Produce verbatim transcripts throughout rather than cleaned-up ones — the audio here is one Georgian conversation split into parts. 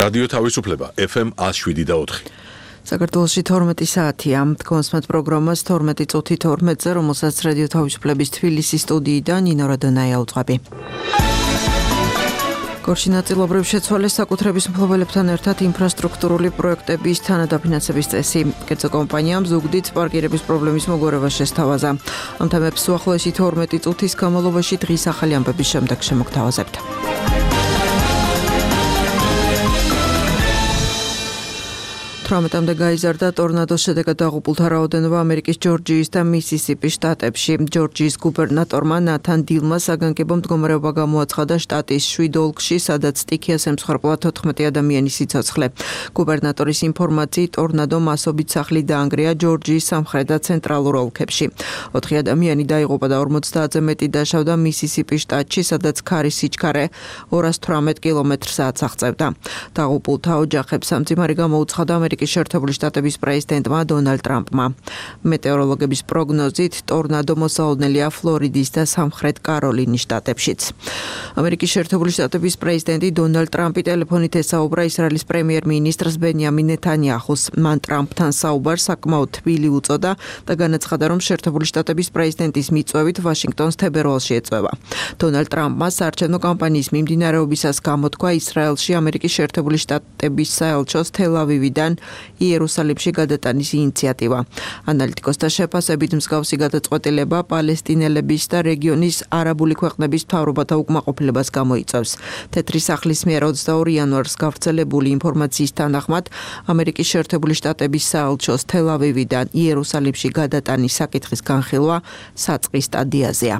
რადიო თავისუფლება ეფ ემ one oh seven და four. საქართველოში თორმეტი საათია. კონსმეთ პროგრამას თორმეტი წუთი თორმეტზე, რომელსაც რადიო თავისუფლების თბილისის სტუდიიდან ნინო რადონაია უძღვები. გორში ნაწილობრივ შეცვალეს საკუთრების მფლობელებთან ერთად ინფრასტრუქტურული პროექტების თანადაფინანსების წესი. კერძო კომპანიამ ზუგდიდ პარკირების პრობლემის მოგვარება შესთავაზა. ამ თემებს უახლოესი თორმეტი წუთის განმავლობაში დღის ახალი ამბების შემდეგ შემოგთავაზებთ. თვრამეტამდე გაიზარდა ტორნადოს შედეგად დაღუპულთა რაოდენობა ამერიკის ჯორჯიის და მისისიპის შტატებში. ჯორჯიის გუბერნატორმა ნათან დილმა საგანგებო მდგომარეობა გამოაცხადა შტატის შვიდ ოლქში, სადაც სტიქიას ემსხვერპლა თოთხმეტი ადამიანის სიცოცხლე. გუბერნატორის ინფორმაციით, ტორნადო მასობით სახლი დაანგრია ჯორჯიის სამხრეთ და ცენტრალურ ოლქებში. ოთხი ადამიანი დაიღუპა და ორმოცდაათზე მეტი დაშავდა მისისიპის შტატში, სადაც ქარის სიჩქარე ორას თვრამეტ კილომეტრ საათს აღწევდა. დაღუპულთა ოჯახებს სამძიმარი გამოუცხადა ამერიკის შეერთებული შტატების პრეზიდენტმა დონალდ ტრამპმა. მეტეოროლოგების პროგნოზით, ტორნადო მოსაოდნელია ფლორიდის და სამხრეთ კაროლინის შტატებშიც. ამერიკის შეერთებული შტატების პრეზიდენტი დონალდ ტრამპი ტელეფონით ესაუბრა ისრაელის პრემიერ-მინისტრს ბენიამინ ნეთანიაჰუს. მან ტრამპთან საუბარს საკმაოდ თბილი უწოდა და განაცხადა, რომ შეერთებული შტატების პრეზიდენტის მიწვევით ვაშინგტონს თებერვალში ეწვევა. დონალდ ტრამპმა საარჩევნო კამპანიის მიმდინარეობისას გამოთქვა ისრაელში ამერიკის შეერთებული შტატების საელჩოს თელ-ავივიდან იერუსალიმში გადატანის ინიციატივა. ანალიტიკოსთა შეფასებით მსგავსი გადაწყვეტილება პალესტინელების და რეგიონის არაბული ქვეყნების მთავრობათა უკმაყოფილებას გამოიწვევს. თეთრი სახლის მიერ ოცდაორი იანვარს გავრცელებული ინფორმაციის თანახმად, ამერიკის შეერთებული შტატების საელჩოს თელ-ავივიდან იერუსალიმში გადატანის საკითხის განხილვა საწყის სტადიაზეა.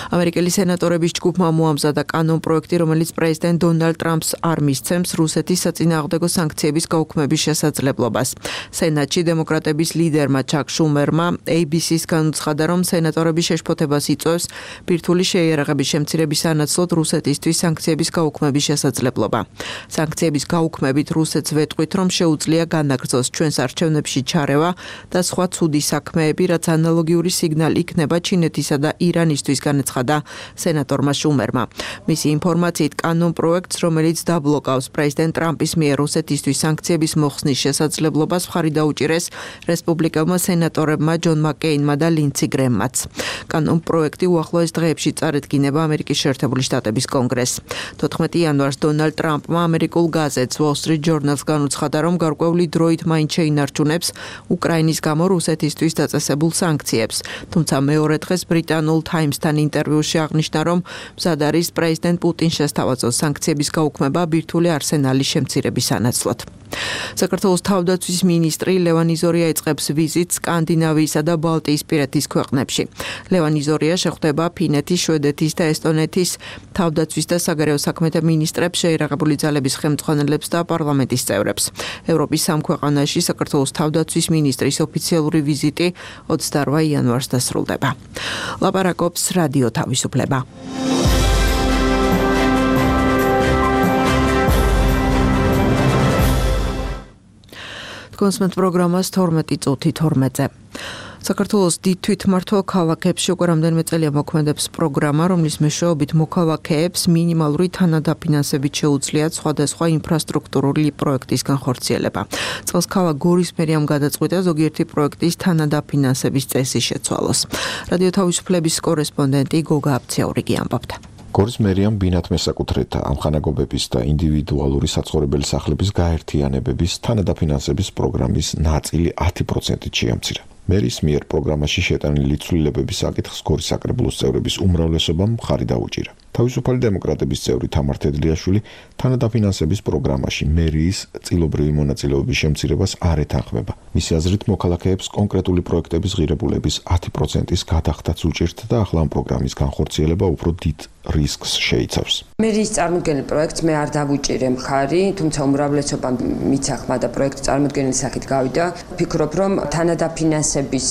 ამერიკელი სენატორების ჯგუფმა მოამზადა კანონპროექტი, რომელიც პრეზიდენტ დონალდ ტრამპს არ მისცემს რუსეთის საწინააღმდეგო სანქციების გაუქმების შესაძლებლობას. სენატში დემოკრატების ლიდერმა ჩაკ შუმერმა ეი ბი სის განუცხადა, რომ სენატორების შეშფოთებას იწვევს ბირთვული შეიარაღების შემცირების სანაცვლოდ რუსეთისთვის სანქციების გაუქმების შესაძლებლობა. სანქციების გაუქმებით რუსეთს ვეტყვით, რომ შეუძლია განაგრძოს ჩვენს არჩევნებში ჩარევა და სხვა ცუდი საქმეები, რაც ანალოგიური სიგნალი იქნება ჩინეთისა და ირანისთვის, განაცხადა სენატორმა შუმერმა. მისი ინფორმაციით, კანონპროექტს, რომელიც დაბლოკავს პრეზიდენტ ტრამპის მიერ რუსეთისთვის სანქციების მოხსნის შესაძლებლობას, მხარი დაუჭირეს რესპუბლიკელმა სენატორებმა ჯონ მაკეინმა და ლინცი გრემმაც. კანონპროექტი უახლოეს დღეებში წარედგინება ამერიკის შეერთებული შტატების კონგრესს. თოთხმეტი იანვარს დონალდ ტრამპმა ამერიკულ გაზეთს Wall Street Journal-ს განუცხადა, რომ გარკვეული დროით მაინც შეინარჩუნებს უკრაინის გამო რუსეთისთვის დაწესებულ სანქციებს. თუმცა მეორე დღეს ბრიტანულ Times-თან ინტერვიუში აღნიშნა, რომ მზად არის პრეზიდენტ პუტინს შესთავაზოს სანქციების გაუქმება ბირთვული არსენალის შემცირების სანაცვლოდ. საქართველოს თავდაცვის მინისტრი ლევან იზორია იწყებს ვიზიტს სკანდინავიისა და ბალტიისპირეთის ქვეყნებში. ლევან იზორია შეხვდება ფინეთის, შვედეთის და ესტონეთის თავდაცვის და საგარეო საქმეთა მინისტრებს, შეიარაღებული ძალების ხელმძღვანელებს და პარლამენტის წევრებს. ევროპის სამ ქვეყანაში საქართველოს თავდაცვის მინისტრის ოფიციალური ვიზიტი ოცდაორ იანვარს დასრულდება. ლაპარაკობს რადიო თავისუფლება. კონსმეთ პროგრამას თორმეტი წუთი თორმეტზე. საქართველოს დიდ თვითმმართველ ქალაქებში უკვე რამდენიმე წელია მოქმედებს პროგრამა, რომლის მეშვეობით მოქალაქეებს მინიმალური თანადაფინანსებით შეუძლიათ სხვადასხვა ინფრასტრუქტურული პროექტის განხორციელება. წელს ქალაქ გორის მერიამ გადაწყვიტა ზოგიერთი პროექტის თანადაფინანსების წესი შეცვალოს. რადიო თავისუფლების კორესპონდენტი გოგა აბციაურიგი ამბობდა. გორის მერიამ ბინათ მესაკუთრეთა ამხანაგობების და ინდივიდუალური საცხოვრებელი სახლების გაერთიანებების თანადაფინანსების პროგრამის ნაწილი ათი პროცენტით შეამცირა. მერის მიერ პროგრამაში შეტანილი ცვლილებების საკითხს გორის საკრებულოს წევრების უმრავლესობამ მხარი დაუჭირა. თავისუფალი დემოკრატების წევრი თამარ თედლიაშვილი თანადაფინანსების პროგრამაში მერიის წილობრივი მონაწილეობის შემცირებას არ ეთანხმება. მისი აზრით, მოქალაქეებს კონკრეტული პროექტების ღირებულების ათი პროცენტის გადახდაც უჭირთ და ახლა ამ პროგრამის განხორციელება უფრო დიდ რისკს შეიცავს. მერიის წარმოდგენილ პროექტს მე არ დავუჭირე მხარი, თუმცა უმრავლესობამ მიცახმა და პროექტი წარმოდგენილი სახით გავიდა. ვფიქრობ, რომ თანადაფინანსების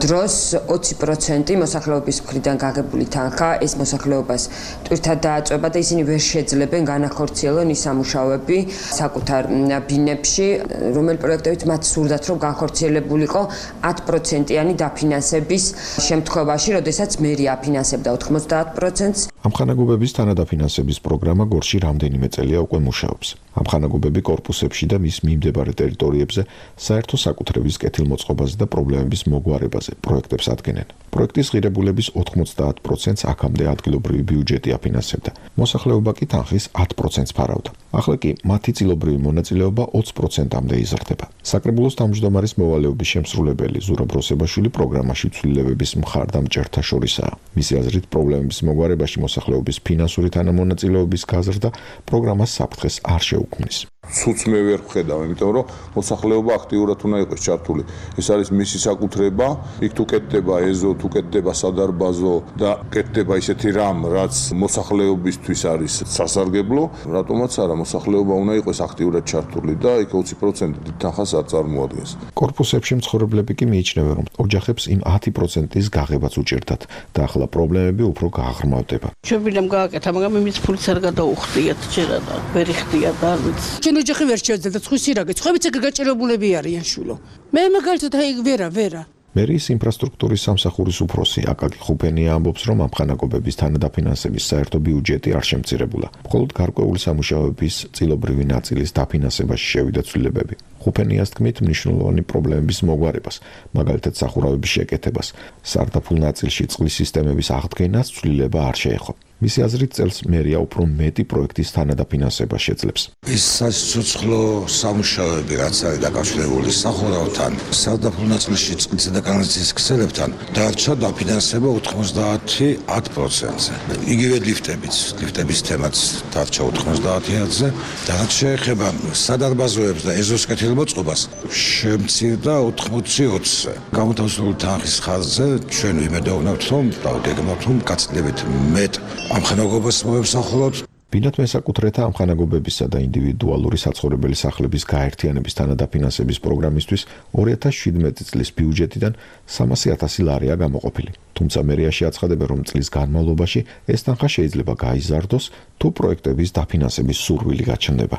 დროს ოცი პროცენტი მოსახლეობის მხრიდან გაგებული თანხა ეს მოსახლეობას ტვირთად დააწვება და ისინი ვერ შეძლებენ განახორციელონ ის სამუშაოები საკუთარ ბინებში, რომელი პროექტებიც მათ სურდათ, რომ განხორციელებულიყო ათი პროცენტიანი დაფინანსების შემთხვევაში, როდესაც მერი აფინანსებდა ოთხმოცდაათ პროცენტს. ამ ხანაგობების თანადაფინანსების პროგრამა გორში რამდენიმე წელია უკვე მუშაობს. ამ ხანაგობები კორპუსებში და მის მიმდებარე ტერიტორიებზე საერთო საკუთრების კეთილმოწყობაზე და პრობლემების მოგვარებაზე პროექტებს ადგენენ. პროექტის ღირებულების ოთხმოცდაათ პროცენტს აქამდე ადგილობრივი ბიუჯეტი აფინანსებდა. მოსახლეობა კი თანხის ათ პროცენტს ფარავდა. ახლა კი მათი წილობრივი მონაწილეობა ოცი პროცენტამდე იზრდება. საკრებულოს თავმჯდომარის მოვალეობის შემსრულებელი ზურაბ როსებაშვილი პროგრამაში ცვლილებების მხარდამჭერთა შორისაა. მისი აზრით, პრობლემების მოგვარებაში მოსახლეობის ფინანსური თანამონაწილეობის გაზრდა პროგრამას საფრთხეს არ შეუქმნის. სულს მე ვერ ვხედავ, იმიტომ რომ მოსახლეობა აქტიურად უნდა იყოს ჩართული. ეს არის მისი საკუთრება, იქ თუ კეთდება ეზო, თუ კეთდება სადარბაზო და კეთდება ისეთი რამ, რაც მოსახლეობისთვის არის სასარგებლო, რატომაც არა, მოსახლეობა უნდა იყოს აქტიურად ჩართული და იქ ოცი პროცენტი თანხას არ წარმოადგენს. კორპუსებში მცხოვრებლები კი მიიჩნევენ, რომ ოჯახებს იმ ათი პროცენტის გაღებაც უჭირდათ და ახლა პრობლემები უფრო გააღრმავდება. შევილამ გააკეთა, მაგრამ იმის ფულს არ გადაუხდიათ ჯერა და ვერ იხდია და არ ვიცი. ოჯახი ვერ შეძლებდა ცხვის სირაგე, ცხებიც ეგ გაჭირებულები არიან შვილო. მე მაგალითად აი ვერა, ვერა. მერის ინფრასტრუქტურის სამსახურის უფროსი აკაკი ხუფენია ამბობს, რომ ამ ხანაგობების თანადაფინანსების საერთო ბიუჯეტი არ შემცირებულა. მხოლოდ გარკვეული სამუშაოების წილობრივი ნაწილის დაფინანსებაში შევიდა ცვლილებები. ხუფენიას თქმით, მნიშვნელოვანი პრობლემების მოგვარებას, მაგალითად სახურავების შეკეთებას, სარდაფულ ნაწილში წყლის სისტემების აღდგენას ცვლილება არ შეეხო. მისი აზრით, წელს მერია უფრო მეტი პროექტის თანადაფინანსება შეძლებს. ის საცოცხლო სამუშაოები, რაც არის დაკავშირებული სახურავთან, სარდაფულ ნაწილში წყლისა და კანალიზაციის ქსელებთან, დარჩა დაფინანსება ოთხმოცდაათი პროცენტზე. იგივე ლიფტებიც, ლიფტების თემაც დარჩა ოთხმოცდაათზე და რაც შეეხება სადარბაზოებს და ეზოს კეთილმოწყობას, შემცირდა ოთხმოცი ოცზე. გამოთავსებული თანხის ხარჯზე ჩვენ ვიმედოვნებთ, რომ დავდეგმავთ, რომ გაცილებით მეტ ამ ხანაგობას მოვემსახუროთ. ბინათ მესაკუთრეთა ამ ხანაგობებისა და ინდივიდუალური საცხოვრებელი სახლების გაერთიანების თანადაფინანსების პროგრამისთვის ორი ათას შვიდმეტი წლის ბიუჯეტიდან სამასი ათასი ლარია გამოყოფილი. თუმცა მერიაში აცხადებენ, რომ წლის განმავლობაში ეს თანხა შეიძლება გაიზარდოს, თუ პროექტების დაფინანსების სურვილი გაჩნდება.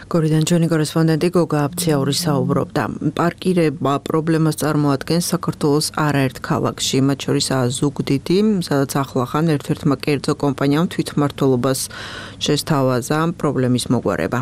გორიდან ჩვენი კორესპონდენტი გოგა აბციაური საუბრობდა. პარკირება პრობლემას წარმოადგენს საქართველოს არაერთ ქალაქში, მათ შორისაა ზუგდიდი, სადაც ახლახან ერთ-ერთმა კერძო კომპანიამ თვითმმართველობას შესთავაზა პრობლემის მოგვარება.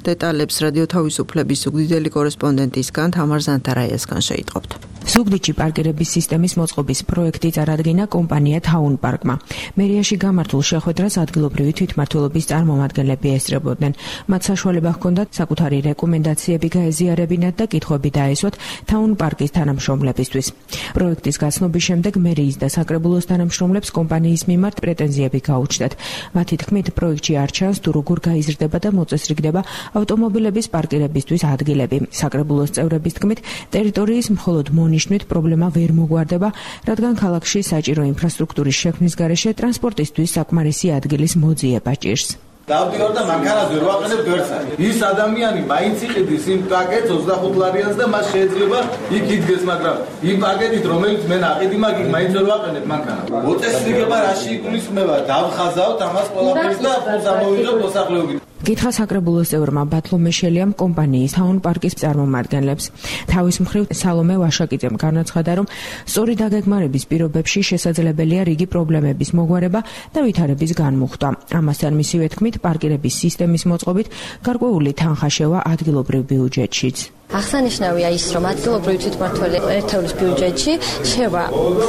დეტალებს რადიო თავისუფლების ზუგდიდელი კორესპონდენტისგან თამარ ზანთარაიასგან შეიტყობთ. ზუგდიდში პარკირების სისტემის მოწყობის პროექტი წარადგინა კომპანია Town Park-მა. მერიაში გამართულ შეხვედრას ადგილობრივი თვითმმართველობის წარმომადგენლები ესწრებოდნენ. მათ საშუალება ჰქონდათ საკუთარი რეკომენდაციები გაეზიარებინათ და კითხვები დაესვათ Town Park-ის თანამშრომლებისთვის. პროექტის გაცნობის შემდეგ მერიის და საკრებულოს თანამშრომლებს კომპანიის მიმართ პრეტენზიები გაუჩნდათ. მათი თქმით, პროექტში არ ჩანს თუ როგორ გაიზრდება და მოწესრიგდება ავტომობილების პარკირებისთვის ადგილები. საკრებულოს წევრების თქმით, ტერიტორიის მხოლოდ ნიშნით პრობლემა ვერ მოგვარდება, რადგან ქალაქში საჭირო ინფრასტრუქტურის შექმნის გარეშე ტრანსპორტისთვის საკმარისი ადგილის მოძიება ჭირს. დავდივარ და მანქანას ვერ ვაყენებ ვერცა. ის ადამიანი მაინც იყიდის იმ პაკეტს ოცდახუთ ლარიანს და მას შეიძლება იქ იდგეს, მაგრამ იმ პაკეტით რომელიც მე ნაყიდი მაგი მაინც ვერ ვაყენებ მანქანას. მოწესრიგება რაში იგულისხმება? დავხაზავთ ამას ყველაფერს და ფულს ამოვიღებ მოსახლეობით. გითხრა საკრებულოს წევრმა ბათლო მეშელიამ კომპანიის Town Park-ის წარმომადგენლებს. თავის მხრივ სალომე ვაშაკიძემ განაცხადა, რომ სწორი დაგეგმარების პირობებში შესაძლებელია რიგი პრობლემების მოგვარება და ვითარების განმუხტვა. ამასთან მისივე თქმით, პარკირების სისტემის მოწყობით გარკვეული თანხა შევა ადგილობრივ ბიუჯეტშიც. აღსანიშნავია ის, რომ ადგილობრივი თვითმმართველი ერთეულის ბიუჯეტში შევა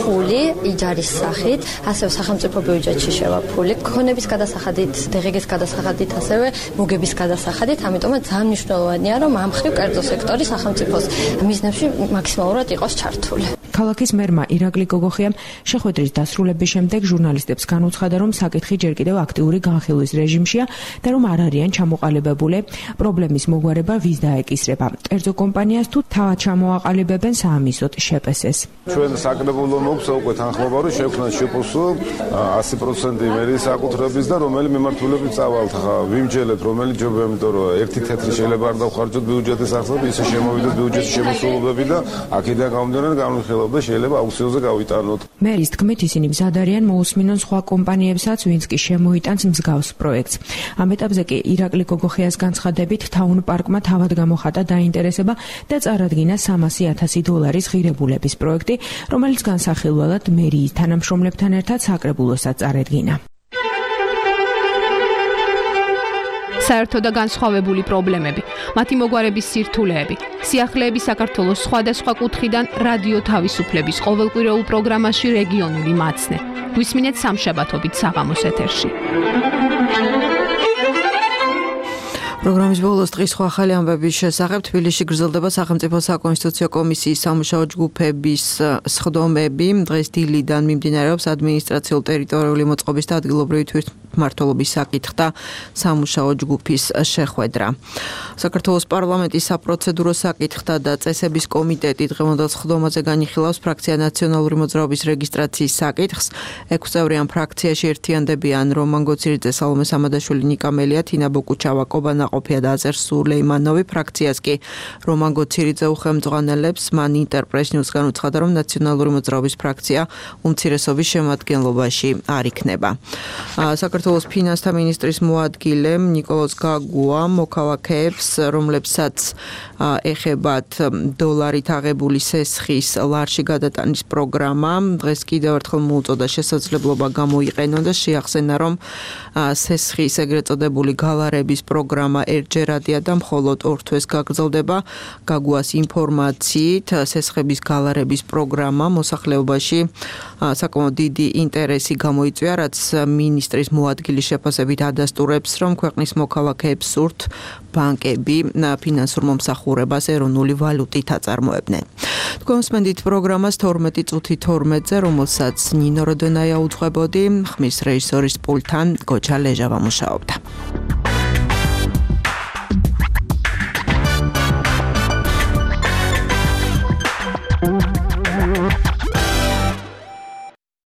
ფული იჯარის სახით, ასევე სახელმწიფო ბიუჯეტში შევა ფული ქონების გადასახადით, დღეგის გადასახადით, ასევე მოგების გადასახადით, ამიტომაც ძალიან მნიშვნელოვანია, რომ ამ მხრივ კერძო სექტორი სახელმწიფოს მიზნებში მაქსიმალურად იყოს ჩართული. ქალაქის მერმა ირაკლი გოგოხიამ შეხვედრის დასრულების შემდეგ ჟურნალისტებს განუცხადა, რომ საკითხი ჯერ კიდევ აქტიური განხილვის რეჟიმშია და რომ არ არიან ჩამოყალიბებული პრობლემის მოგვარება ვის დაეკისრება. კერძო კომპანიას თუ თავად ჩამოაყალიბებენ საამისოდ შეპესეს. ჩვენ საკრებულო მოგვცა უკვე თანხმობა, რომ შევქმნათ შეპოსო ასი პროცენტი მერიის საკუთრების და რომელი მიმართულებით წავალთ. ხა ვიმჯელეთ, რომელი ჯობია, იმიტომ რომ ერთი თეთრი შეიძლება არ დავხარჯოთ ბიუჯეტის ახსნები, ისე შემოვიდეთ ბიუჯეტის შემოსულობები და აქედან გამომდინარე განვიხილავთ და შეიძლება აუქციონზე გავიტანოთ. მერის თქმით, ისინი მზად არიან მოусმინონ სხვა კომპანიებსაც, ვინც კი შემოიტანს მსგავს პროექტს. ამ ეტაპზე კი ირაკლი გოგოხიას განცხადებით, Town Park-მა თავად გამოხატა დაინტერესება და წარადგინა სამასი ათასი დოლარის ღირებულების პროექტი, რომელიც განსახილველად მერიის თანამშრომლებთან ერთად საკრებულოსაც წარედგინა. საერთო და განსხვავებული პრობლემები, მათი მოგვარების სირთულეები, სიახლეები საქართველოს სხვადასხვა კუთხიდან რადიო თავისუფლების ყოველკვირეულ პროგრამაში რეგიონული მაცნე. გვისმინეთ სამშაბათობით საღამოს ეთერში. პროგრამის ბოლოს დღის სხვა ახალი ამბების შესახებ თბილისში გრძელდება სახელმწიფო საკონსტიტუციო კომისიის სამუშაო ჯგუფების სხდომები. დღეს დილიდან მიმდინარეობს ადმინისტრაციულ-ტერიტორიული მოწყობის და ადგილობრივი თვითმმართველობის საკითხთა სამუშაო ჯგუფის შეხვედრა. საქართველოს პარლამენტის საპროცედურო საკითხთა და წესების კომიტეტი დღევანდელ სხდომაზე განიხილავს ფრაქცია ნაციონალური მოძრაობის რეგისტრაციის საკითხს. ექვსწევრიან ფრაქციაში ერთიანდებიან რომან გოცირიძე, სალომე სამადაშვილი, ნიკა მელია, თინა ბოკუჩავა, კობანა ყოფია და აზერ სულეიმანოვი. ფრაქციას კი რომან გოცირიძე უხელმძღვანელებს. მან ინტერპრეს ნიუსგან უცხადა, რომ ნაციონალური მოძრაობის ფრაქცია უმცირესობის შემადგენლობაში არ იქნება. საქართველოს ფინანსთა მინისტრის მოადგილე ნიკოლოზ გაგუა მოქალაქეებს, რომლებსაც ეხებათ დოლარით აღებული სესხის ლარში გადატანის პროგრამა, დღეს კიდევ ერთხელ მოუწოდა შესაძლებლობა გამოიყენონ და შეახსენა, რომ სესხის ეგრეთ წოდებული გალარების პროგრამა ერთჯერადია და მხოლოდ ორ თვეს გაგრძელდება. გაგუას ინფორმაციით, სესხების გალარების პროგრამა მოსახლეობაში საკმაოდ დიდი ინტერესი გამოიწვია, რაც მინისტრის მოადგილის შეფასებით ადასტურებს, რომ ქვეყნის მოქალაქეებს სურთ ბანკები ფინანსურ მომსახურებას ეროვნული ვალუტით აწარმოებდნენ. თქვენ მსმენთ პროგრამას თორმეტი წუთი თორმეტზე, რომელსაც ნინო როდენაია უძღვებოდი, ხმის რეჟისორის პულტთან გოჩა ლეჟავა მუშაობდა.